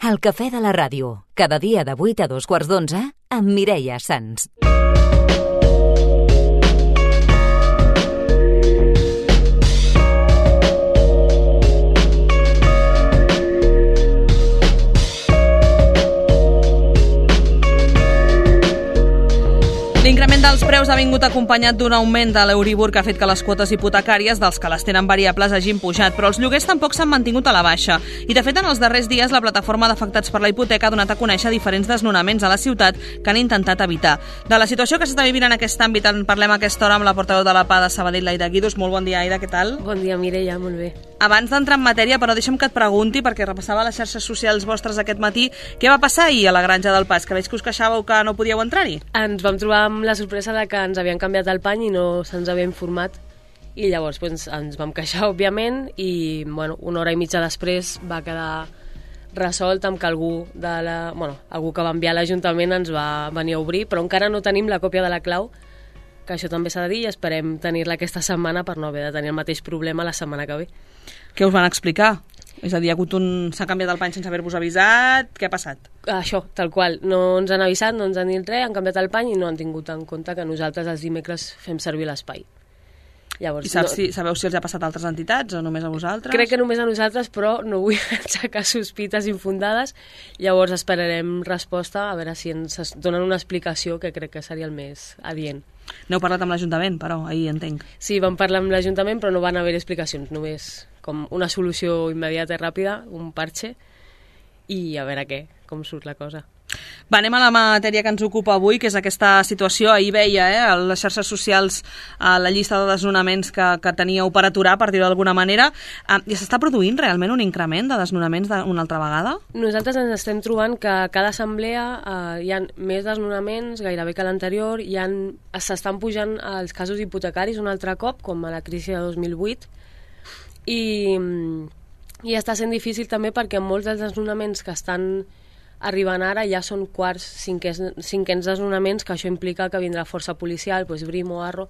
El cafè de la ràdio, cada dia de 8 a 2:15 amb Mireia Sans. L'increment dels preus ha vingut acompanyat d'un augment de l'Euribor que ha fet que les quotes hipotecàries dels que les tenen variables hagin pujat, però els lloguers tampoc s'han mantingut a la baixa. I de fet, en els darrers dies, la plataforma d'afectats per la hipoteca ha donat a conèixer diferents desnonaments a la ciutat que han intentat evitar. De la situació que s'està vivint en aquest àmbit en parlem a aquesta hora amb la portaveu de la PA de Sabadell, l'Aida Guidos. Molt bon dia, Aida, què tal? Bon dia, Mireia, molt bé. Abans d'entrar en matèria, però deixa'm que et pregunti, perquè repassava les xarxes socials vostres aquest matí, què va passar ahir a la Granja del Pas, que veig que us queixàveu que no podíeu entrar-hi? Ens vam trobar amb la sorpresa de que ens havien canviat el pany i no se'ns havia informat, i llavors ens vam queixar, òbviament, i una hora i mitja després va quedar resolt amb que algú que va enviar a l'Ajuntament ens va venir a obrir, però encara no tenim la còpia de la clau, que això també s'ha de dir, i esperem tenir-la aquesta setmana per no haver de tenir el mateix problema la setmana que ve. Què us van explicar? És a dir, s'ha canviat el pany sense haver-vos avisat? Què ha passat? Això, tal qual. No ens han avisat, no ens han dit res, han canviat el pany i no han tingut en compte que nosaltres els dimecres fem servir l'espai. Llavors, I sabeu si els ha passat a altres entitats o només a vosaltres? Crec que només a nosaltres, però no vull aixecar sospites infundades. Llavors esperarem resposta, a veure si ens donen una explicació, que crec que seria el més adient. N'heu parlat amb l'Ajuntament, però, ahir entenc. Sí, vam parlar amb l'Ajuntament, però no van haver explicacions, només com una solució immediata i ràpida, un parche, i a veure com surt la cosa. Va, anem a la matèria que ens ocupa avui, que és aquesta situació. Ahir veia a les xarxes socials la llista de desnonaments que teníeu per aturar, per dir-ho d'alguna manera. I s'està produint realment un increment de desnonaments una altra vegada? Nosaltres ens estem trobant que a cada assemblea hi ha més desnonaments, gairebé que l'anterior, s'estan pujant els casos hipotecaris un altre cop, com a la crisi de 2008, i està sent difícil també perquè molts dels desnonaments que estan arribant ara ja són quarts, cinquens desnonaments, que això implica que vindrà força policial, Brimo, Arro,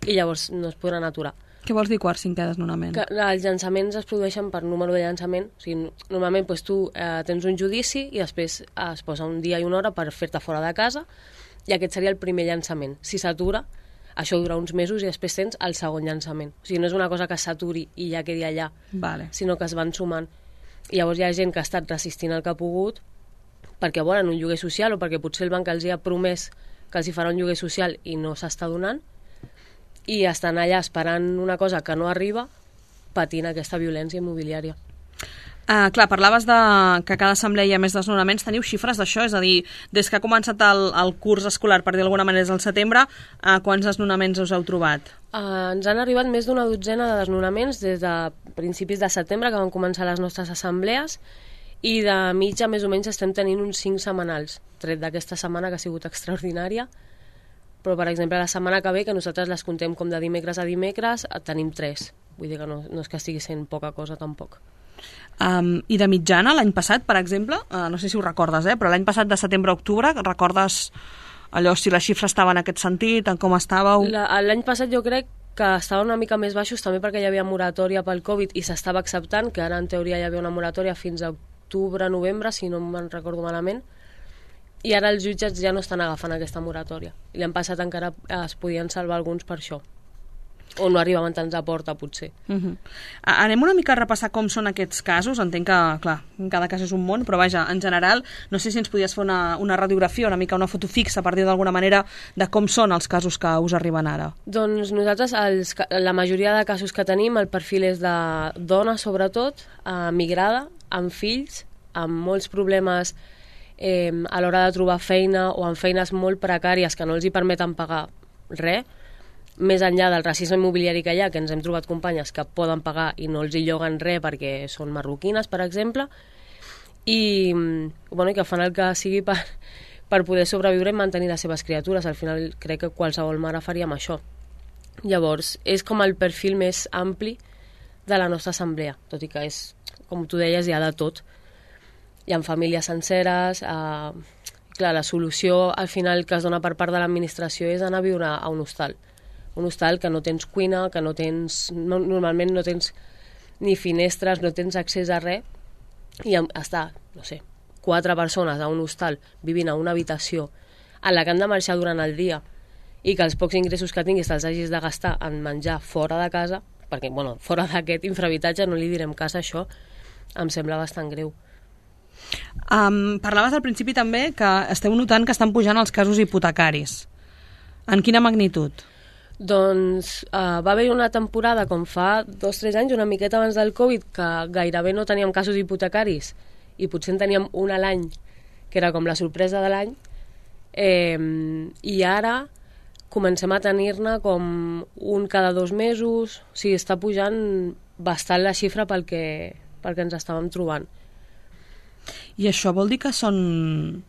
i llavors no es podran aturar. Què vols dir quart, cinquè desnonament? Que els llançaments es produeixen per número de llançament. O sigui, normalment tu tens un judici i després es posa un dia i una hora per fer-te fora de casa, i aquest seria el primer llançament. Si s'atura, això dura uns mesos i després tens el segon llançament. O sigui, no és una cosa que s'aturi i ja quedi allà, sinó que es van sumant. I llavors hi ha gent que ha estat resistint el que ha pogut perquè volen un lloguer social o perquè potser el banc els ha promès que els hi farà un lloguer social i no s'està donant, i estan allà esperant una cosa que no arriba, patint aquesta violència immobiliària. Clar, parlaves que a cada assemblea hi ha més desnonaments. Teniu xifres d'això? És a dir, des que ha començat el curs escolar, per dir d'alguna manera, des del setembre, quants desnonaments us heu trobat? Ens han arribat més d'una dotzena de desnonaments des de principis de setembre, que van començar les nostres assemblees, i de mitja més o menys estem tenint uns 5 setmanals, tret d'aquesta setmana que ha sigut extraordinària, però per exemple la setmana que ve, que nosaltres les contem com de dimecres a dimecres, tenim 3, vull dir que no és que estigui sent poca cosa tampoc. I de mitjana, l'any passat, per exemple, no sé si ho recordes, però l'any passat de setembre a octubre, recordes allò, si la xifra estava en aquest sentit, en com estàveu? L'any passat jo crec que estava una mica més baixos, també perquè hi havia moratòria pel Covid i s'estava acceptant, que ara en teoria hi havia una moratòria fins a octubre, novembre, si no me'n recordo malament, i ara els jutjats ja no estan agafant aquesta moratòria. I l'any passat encara es podien salvar alguns per això. O no arribaven tants a porta, potser. Anem una mica a repassar com són aquests casos. Entenc que, clar, cada cas és un món, però vaja, en general, no sé si ens podies fer una radiografia, una mica una foto fixa, per dir d'alguna manera, de com són els casos que us arriben ara. Doncs nosaltres, la majoria de casos que tenim, el perfil és de dona, sobretot, migrada, amb fills, amb molts problemes a l'hora de trobar feina o amb feines molt precàries que no els hi permeten pagar res, més enllà del racisme immobiliari que hi ha, que ens hem trobat companyes que poden pagar i no els hi lloguen res perquè són marroquines, per exemple, i que fan el que sigui per poder sobreviure i mantenir les seves criatures. Al final crec que qualsevol mare faríem això. Llavors, és com el perfil més ampli de la nostra assemblea, tot i que és, com tu deies, hi ha de tot. Hi ha famílies senceres, clar, la solució al final que es dona per part de l'administració és anar a viure a un hostal. Un hostal que no tens cuina, que normalment no tens ni finestres, no tens accés a res, i està, no sé, 4 persones a un hostal vivint a una habitació en la que han de marxar durant el dia i que els pocs ingressos que tinguis te'ls hagis de gastar en menjar fora de casa, perquè, bueno, fora d'aquest infrahabitatge no li direm casa, això em sembla bastant greu. Parlaves al principi també que esteu notant que estan pujant els casos hipotecaris. En quina magnitud? Doncs va haver una temporada, com fa 2 o 3 anys, una miqueta abans del Covid, que gairebé no teníem casos hipotecaris i potser en teníem un a l'any, que era com la sorpresa de l'any, i ara comencem a tenir-ne com un cada 2 mesos, o sigui, està pujant bastant la xifra pel que ens estàvem trobant. I això vol dir que són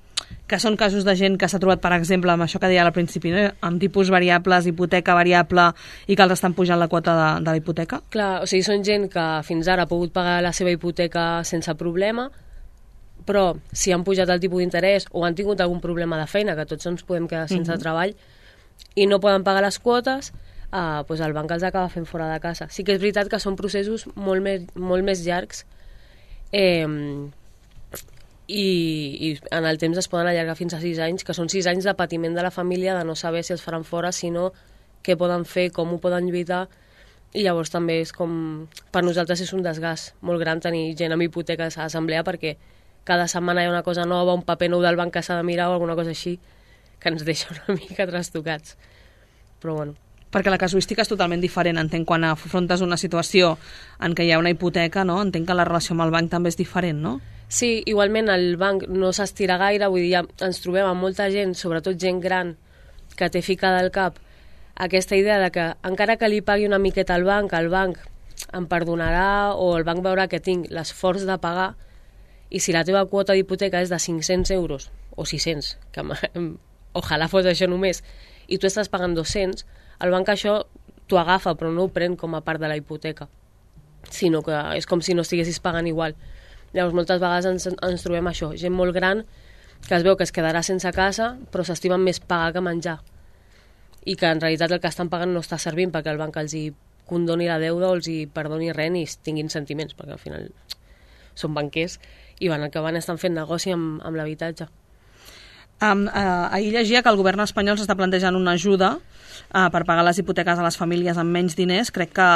casos de gent que s'ha trobat, per exemple, amb això que deia al principi, no? Amb tipus variables, hipoteca variable, i que els estan pujant la quota de la hipoteca? Clar, o sigui, són gent que fins ara ha pogut pagar la seva hipoteca sense problema, però si han pujat el tipus d'interès o han tingut algun problema de feina, que tots ens podem quedar sense treball, i no poden pagar les quotes, doncs el banc els acaba fent fora de casa. Sí que és veritat que són processos molt més llargs, i en el temps es poden allargar fins a 6 anys, que són 6 anys de patiment de la família, de no saber si els faran fora, sinó què poden fer, com ho poden lluitar, i llavors també és com... Per nosaltres és un desgast molt gran tenir gent amb hipoteques a l'assemblea, perquè cada setmana hi ha una cosa nova, un paper nou del banc que s'ha de mirar o alguna cosa així, que ens deixa una mica trastocats. Però bueno. Perquè la casuística és totalment diferent, entenc, quan afrontes una situació en què hi ha una hipoteca, no? Entenc que la relació amb el banc també és diferent, no? Sí, igualment el banc no s'estira gaire, vull dir, ja ens trobem amb molta gent, sobretot gent gran, que té ficada al cap aquesta idea de que encara que li pagui una miqueta al banc em perdonarà, o el banc veurà que tinc l'esforç de pagar, i si la teva quota d'hipoteca és de 500 euros, o 600, que ojalà fos això només, i tu estàs pagant 200, el banc això t'ho agafa, però no ho pren com a part de la hipoteca, sinó que és com si no estiguessis pagant igual. Llavors moltes vegades ens trobem això, gent molt gran que es veu que es quedarà sense casa, però s'estimen més pagar que menjar, i que en realitat el que estan pagant no està servint perquè el banc els hi condoni la deuda o els hi perdoni res ni tinguin sentiments, perquè al final són banquers i van estan fent negoci amb l'habitatge. Ahir llegia que el govern espanyol s'està plantejant una ajuda per pagar les hipoteques a les famílies amb menys diners. Crec que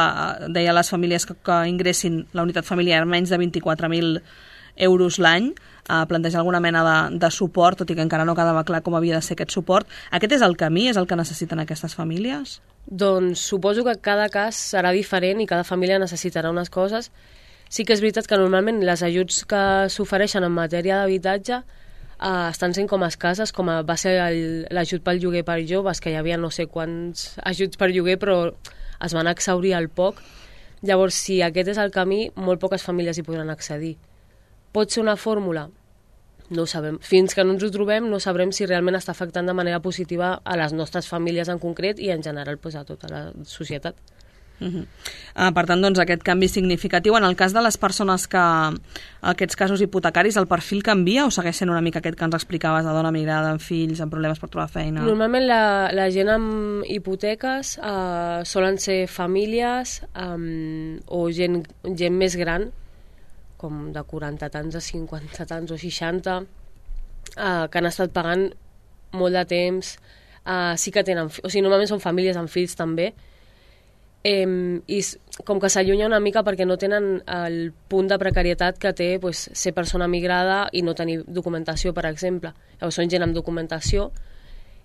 deia les famílies que ingressin la unitat familiar menys de 24.000 euros l'any, plantejar alguna mena de suport, tot i que encara no quedava clar com havia de ser aquest suport. Aquest és el camí? És el que necessiten aquestes famílies? Doncs suposo que cada cas serà diferent i cada família necessitarà unes coses. Sí que és veritat que normalment les ajuts que s'ofereixen en matèria d'habitatge estan sent com escasses, com va ser l'ajut pel lloguer per joves, que hi havia no sé quants ajuts per lloguer, però es van exhaurir al poc. Llavors, si aquest és el camí, molt poques famílies hi podran accedir. Pot ser una fórmula? No ho sabem. Fins que no ens ho trobem, no sabrem si realment està afectant de manera positiva a les nostres famílies en concret i en general a tota la societat. Per tant, doncs, aquest canvi significatiu. En el cas de les persones que aquests casos hipotecaris, el perfil canvia o segueix sent una mica aquest que ens explicaves, de dona migrada, amb fills, amb problemes per trobar feina? Normalment la gent amb hipoteques solen ser famílies o gent més gran, com de 40 tants a 50 tants o 60, que han estat pagant molt de temps. Sí que tenen... O sigui, normalment són famílies amb fills també, i com que s'allunya una mica perquè no tenen el punt de precarietat que té ser persona migrada i no tenir documentació, per exemple. Llavors són gent amb documentació,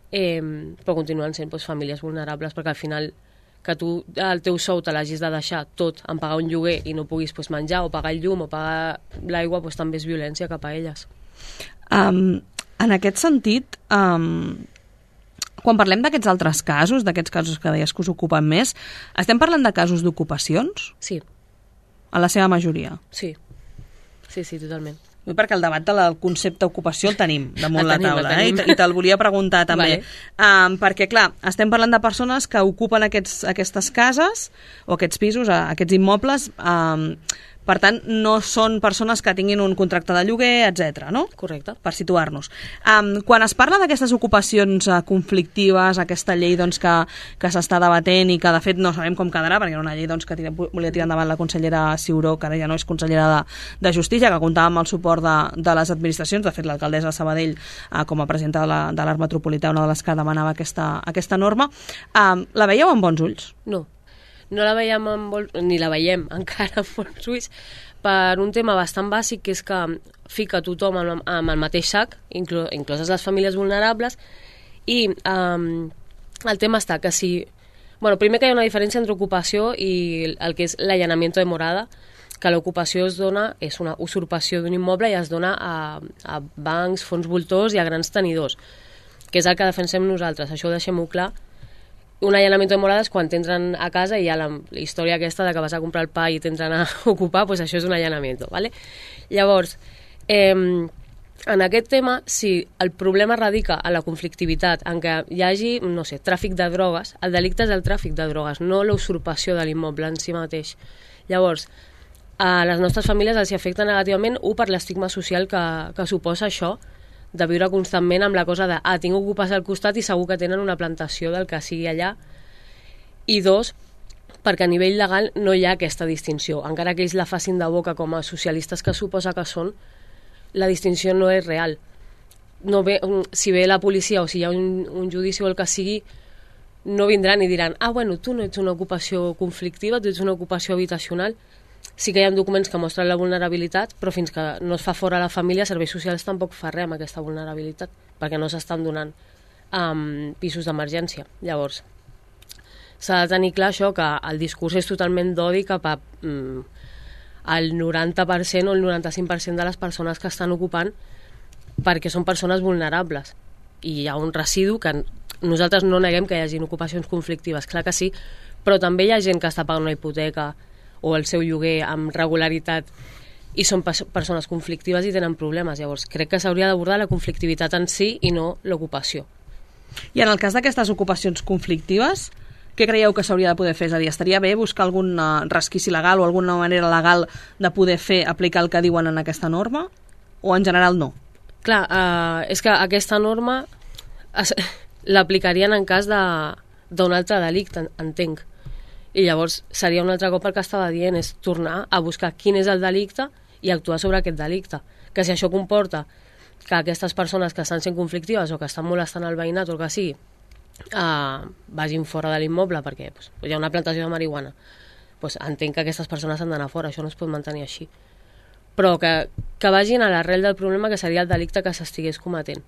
però continuen sent famílies vulnerables, perquè al final que tu el teu sou te l'hagis de deixar tot en pagar un lloguer i no puguis menjar o pagar el llum o pagar l'aigua, també és violència cap a elles. En aquest sentit, quan parlem d'aquests altres casos, d'aquests casos que deies que us ocupen més, estem parlant de casos d'ocupacions? Sí. A la seva majoria? Sí, totalment. Perquè el debat del concepte ocupació el tenim damunt la taula, i te'l volia preguntar també. Vale. Perquè, clar, estem parlant de persones que ocupen aquestes cases o aquests pisos, aquests immobles, Per tant, no són persones que tinguin un contracte de lloguer, etc. no? Correcte. Per situar-nos. Quan es parla d'aquestes ocupacions conflictives, aquesta llei doncs, que s'està debatent i que de fet no sabem com quedarà, perquè era una llei doncs, que volia tirar endavant la consellera Ciuró, que ara ja no és consellera de Justícia, que comptava amb el suport de les administracions. De fet, l'alcaldessa de Sabadell, com a presidenta de l'Art Metropolità, una de les que demanava aquesta norma. La veieu amb bons ulls? No la veiem ni la veiem encara amb bons ulls, per un tema bastant bàsic, que és que fica tothom amb el mateix sac, incloses les famílies vulnerables, i el tema està que si... primer que hi ha una diferència entre ocupació i el que és l'allanamiento de morada, que l'ocupació és una usurpació d'un immoble i es dona a bancs, fons voltors i a grans tenidors, que és el que defensem nosaltres, això ho deixem-ho clar. Un allanamiento de morada és quan t'entren a casa i hi ha la història aquesta de que vas a comprar el pa i t'entren a ocupar, doncs això és un allanamiento, ¿vale? Llavors, en aquest tema, si el problema radica en la conflictivitat, en què hi hagi, no sé, tràfic de drogues, el delicte és el tràfic de drogues, no la usurpació de l'immoble en si mateix. Llavors, a les nostres famílies els afecta negativament, per l'estigma social que suposa això, de viure constantment amb la cosa de tinc ocupes al costat i segur que tenen una plantació del que sigui allà, i dos, perquè a nivell legal no hi ha aquesta distinció, encara que ells la facin de boca com a socialistes que suposa que són, la distinció no és real. Si ve la policia o si hi ha un judici o el que sigui, no vindran i diran tu no ets una ocupació conflictiva, tu ets una ocupació habitacional. Sí que hi ha documents que mostren la vulnerabilitat, però fins que no es fa fora la família, serveis socials tampoc fa res amb aquesta vulnerabilitat, perquè no s'estan donant pisos d'emergència. Llavors, s'ha de tenir clar això, que el discurs és totalment d'odi cap al 90% o el 95% de les persones que estan ocupant, perquè són persones vulnerables. I hi ha un residu que nosaltres no neguem que hi hagi ocupacions conflictives, clar que sí, però també hi ha gent que està pagant una hipoteca o el seu lloguer amb regularitat i són persones conflictives i tenen problemes. Llavors, crec que s'hauria d'abordar la conflictivitat en si i no l'ocupació. I en el cas d'aquestes ocupacions conflictives, què creieu que s'hauria de poder fer? És a dir, estaria bé buscar algun resquici legal o alguna manera legal de poder aplicar el que diuen en aquesta norma? O en general no? Clar, és que aquesta norma l'aplicarien en cas d'un altre delicte, entenc. I llavors seria un altre cop el que estava dient, és tornar a buscar quin és el delicte i actuar sobre aquest delicte. Que si això comporta que aquestes persones que estan sent conflictives o que estan molestant el veïnat o el que sigui vagin fora de l'immoble perquè hi ha una plantació de marihuana, entenc que aquestes persones han d'anar fora, això no es pot mantenir així. Però que vagin a l'arrel del problema, que seria el delicte que s'estigués cometent.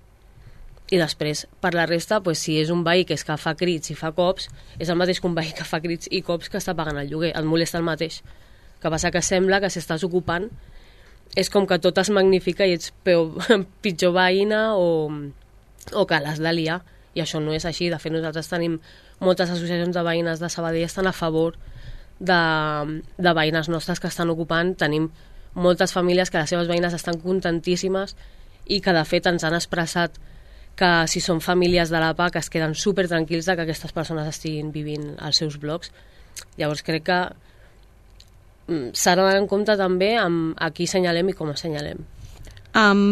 I després, per la resta, si és un veí que és que fa crits i fa cops, és el mateix que un veí que fa crits i cops que està pagant el lloguer, et molesta el mateix. Que passa que sembla que si estàs ocupant és com que tot es magnifica i ets pitjor veïna o que l'has de liar, i això no és així. De fet, nosaltres tenim moltes associacions de veïnes de Sabadell estan a favor de veïnes nostres que estan ocupant. Tenim moltes famílies que les seves veïnes estan contentíssimes i que de fet ens han expressat que si són famílies de la PA que es queden super tranquils de que aquestes persones estiguin vivint als seus blocs. Llavors crec que s'ha d'anar en compte també amb a qui assenyalem i com assenyalem.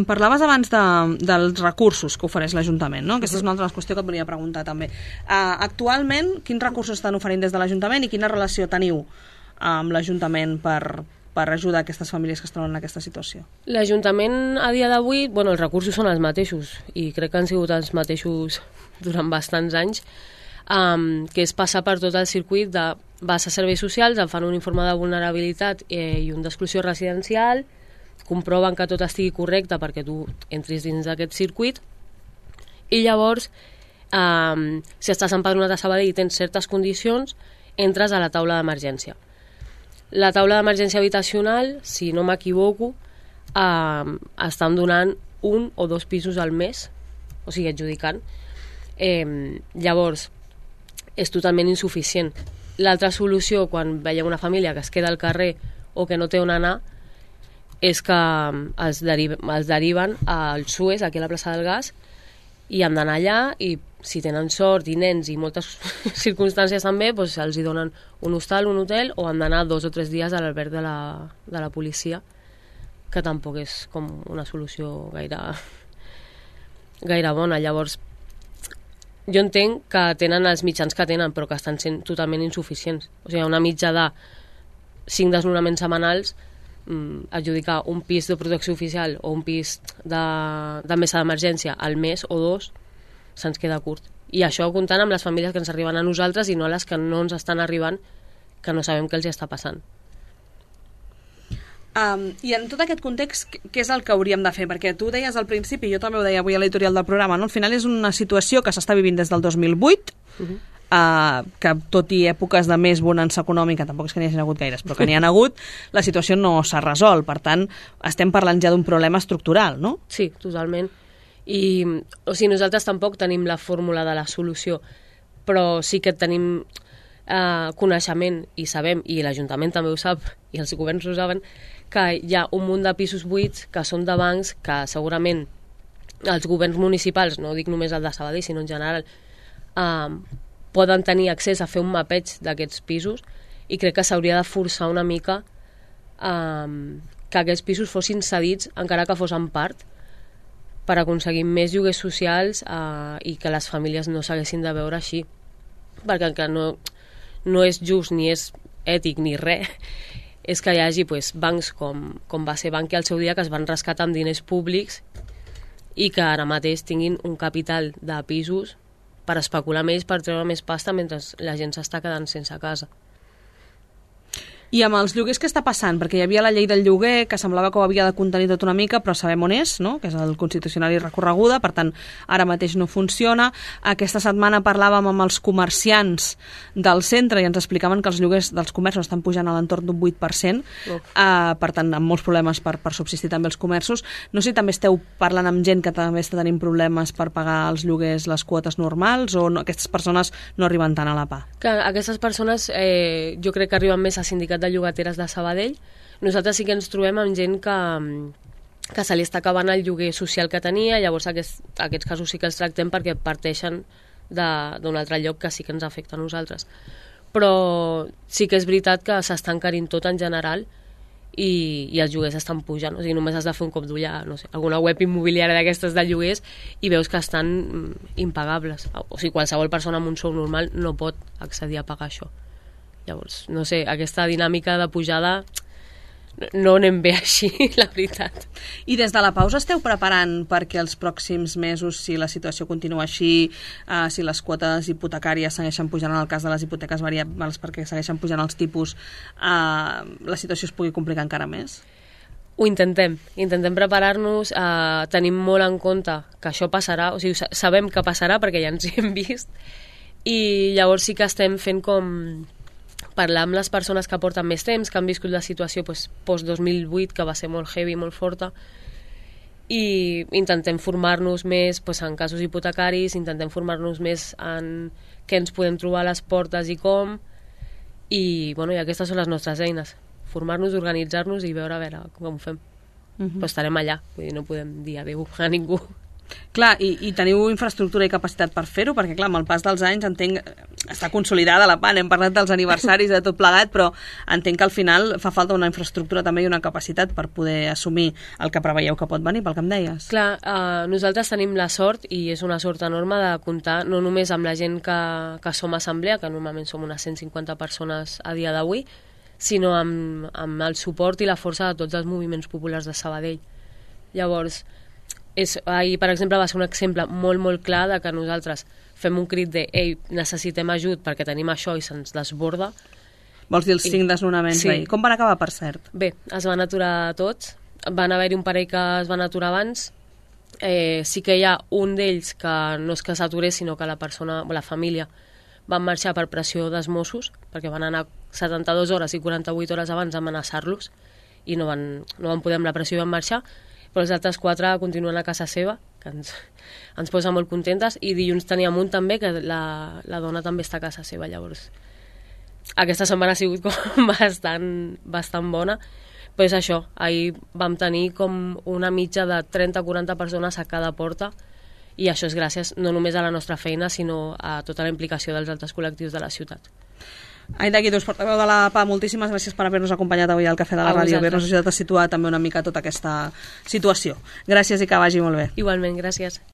Parlaves abans dels recursos que ofereix l'Ajuntament, no? Aquesta és una altra qüestió que et volia preguntar també. Actualment, quins recursos estan oferint des de l'Ajuntament i quina relació teniu amb l'Ajuntament per ajudar aquestes famílies que es troben en aquesta situació? L'Ajuntament a dia d'avui, els recursos són els mateixos i crec que han sigut els mateixos durant bastants anys, que és passar per tot el circuit de vas a serveis socials, em fan un informe de vulnerabilitat i un d'exclusió residencial, comproven que tot estigui correcte perquè tu entris dins d'aquest circuit i llavors, si estàs empadronat a Sabadell i tens certes condicions, entres a la taula d'emergència. La taula d'emergència habitacional, si no m'equivoco, estan donant 1 o 2 pisos al mes, o sigui, adjudicant. Llavors, és totalment insuficient. L'altra solució, quan veiem una família que es queda al carrer o que no té on anar, és que els deriven al SUES, aquí a la plaça del Gas, i han d'anar allà i si tenen sort i nens i moltes circumstàncies també, doncs els hi donen un hostal, un hotel, o han d'anar 2 o 3 dies a l'alberg de la policia, que tampoc és com una solució gaire bona. Llavors, jo entenc que tenen els mitjans que tenen, però que estan sent totalment insuficients. O sigui, una mitja de 5 desnonaments setmanals, adjudicar un pis de protecció oficial o un pis de mesa d'emergència al mes o 2, se'ns queda curt. I això comptant amb les famílies que ens arriben a nosaltres i no a les que no ens estan arribant, que no sabem què els està passant. I en tot aquest context, què és el que hauríem de fer? Perquè tu deies al principi, jo també ho deia avui a l'editorial del programa, no? Al final és una situació que s'està vivint des del 2008, que tot i èpoques de més bonança econòmica, tampoc és que n'hi hagi hagut gaires, però que n'hi ha hagut, la situació no s'ha resolt. Per tant, estem parlant ja d'un problema estructural, no? Sí, totalment. I, o sigui, nosaltres tampoc tenim la fórmula de la solució, però sí que tenim coneixement i sabem, i l'Ajuntament també ho sap, i els governs ho saben, que hi ha un munt de pisos buits que són de bancs que segurament els governs municipals, no dic només el de Sabadell, sinó en general, poden tenir accés a fer un mapeig d'aquests pisos, i crec que s'hauria de forçar una mica que aquests pisos fossin cedits, encara que fos en part, per aconseguir més lloguers socials i que les famílies no s'haguessin de veure així, perquè que no és just ni és ètic ni res, és que hi hagi bancs com va ser Bankia al seu dia, que es van rescatar amb diners públics i que ara mateix tinguin un capital de pisos per especular més, per treure més pasta mentre la gent s'està quedant sense casa. I amb els lloguers què està passant? Perquè hi havia la llei del lloguer, que semblava que ho havia de contenir tot una mica, però sabem on és, no? Que és el Constitucional i recorreguda, per tant, ara mateix no funciona. Aquesta setmana parlàvem amb els comerciants del centre i ens explicaven que els lloguers dels comerços estan pujant a l'entorn d'un 8%, per tant, amb molts problemes per subsistir també els comerços. No sé si també esteu parlant amb gent que també està tenint problemes per pagar els lloguers, les quotes normals, o no, aquestes persones no arriben tant a la PA? Que aquestes persones jo crec que arriben més a sindicats de llogateres de Sabadell. Nosaltres sí que ens trobem amb gent que se li està acabant el lloguer social que tenia, llavors aquests casos sí que els tractem perquè parteixen d'un altre lloc que sí que ens afecta a nosaltres. Però sí que és veritat que s'està encarint tot en general i els lloguers estan pujant. O sigui, només has de fer un cop d'ull a alguna web immobiliària d'aquestes de lloguers i veus que estan impagables. O sigui, qualsevol persona amb un sou normal no pot accedir a pagar això. Llavors, no sé, aquesta dinàmica de pujada no anem bé així, la veritat. I des de la pausa esteu preparant perquè els pròxims mesos, si la situació continua així, si les quotes hipotecàries segueixen pujant en el cas de les hipoteques variables perquè segueixen pujant els tipus, la situació es pugui complicar encara més? Ho intentem preparar-nos, tenim molt en compte que això passarà, o sigui, sabem que passarà perquè ja ens hi hem vist, i llavors sí que estem fent com parlar amb les persones que porten més temps, que han viscut la situació post-2008, que va ser molt heavy, molt forta, i intentem formar-nos més en casos hipotecaris, intentem formar-nos més en què ens podem trobar a les portes i com, i aquestes són les nostres eines, formar-nos, organitzar-nos i veure com ho fem. Però estarem allà, vull dir, no podem dir adéu a ningú. Clar, i teniu infraestructura i capacitat per fer-ho? Perquè, clar, amb el pas dels anys entenc està consolidada la PA, hem parlat dels aniversaris de tot plegat, però entenc que al final fa falta una infraestructura també i una capacitat per poder assumir el que preveieu que pot venir, pel que em deies. Clar, nosaltres tenim la sort, i és una sort enorme, de comptar no només amb la gent que som assemblea, que normalment som unes 150 persones a dia d'avui, sinó amb el suport i la força de tots els moviments populars de Sabadell. Llavors, ahir, per exemple, va ser un exemple molt, molt clar de que nosaltres fem un crit de «Ei, necessitem ajut perquè tenim això» i se'ns desborda. Vols dir els 5 desnonaments d'ahir? Com van acabar, per cert? Bé, es van aturar tots. Van haver-hi un parell que es van aturar abans. Sí que hi ha un d'ells que no és que s'aturés, sinó que la família van marxar per pressió dels Mossos, perquè van anar 72 hores i 48 hores abans a amenaçar-los i no van poder amb la pressió i van marxar. Però els altres 4 continuen a casa seva, que ens posa molt contentes, i dilluns teníem un també, que la dona també està a casa seva. Llavors, aquesta setmana ha sigut com bastant bona, però és això, ahir vam tenir com una mitja de 30-40 persones a cada porta, i això és gràcies no només a la nostra feina, sinó a tota la implicació dels altres col·lectius de la ciutat. Aida Guidós, portaveu de la PA, moltíssimes gràcies per haver-nos acompanyat avui al Cafè de la Ràdio, haver-nos ajudat a situar també una mica tota aquesta situació. Gràcies i que vagi molt bé. Igualment, gràcies.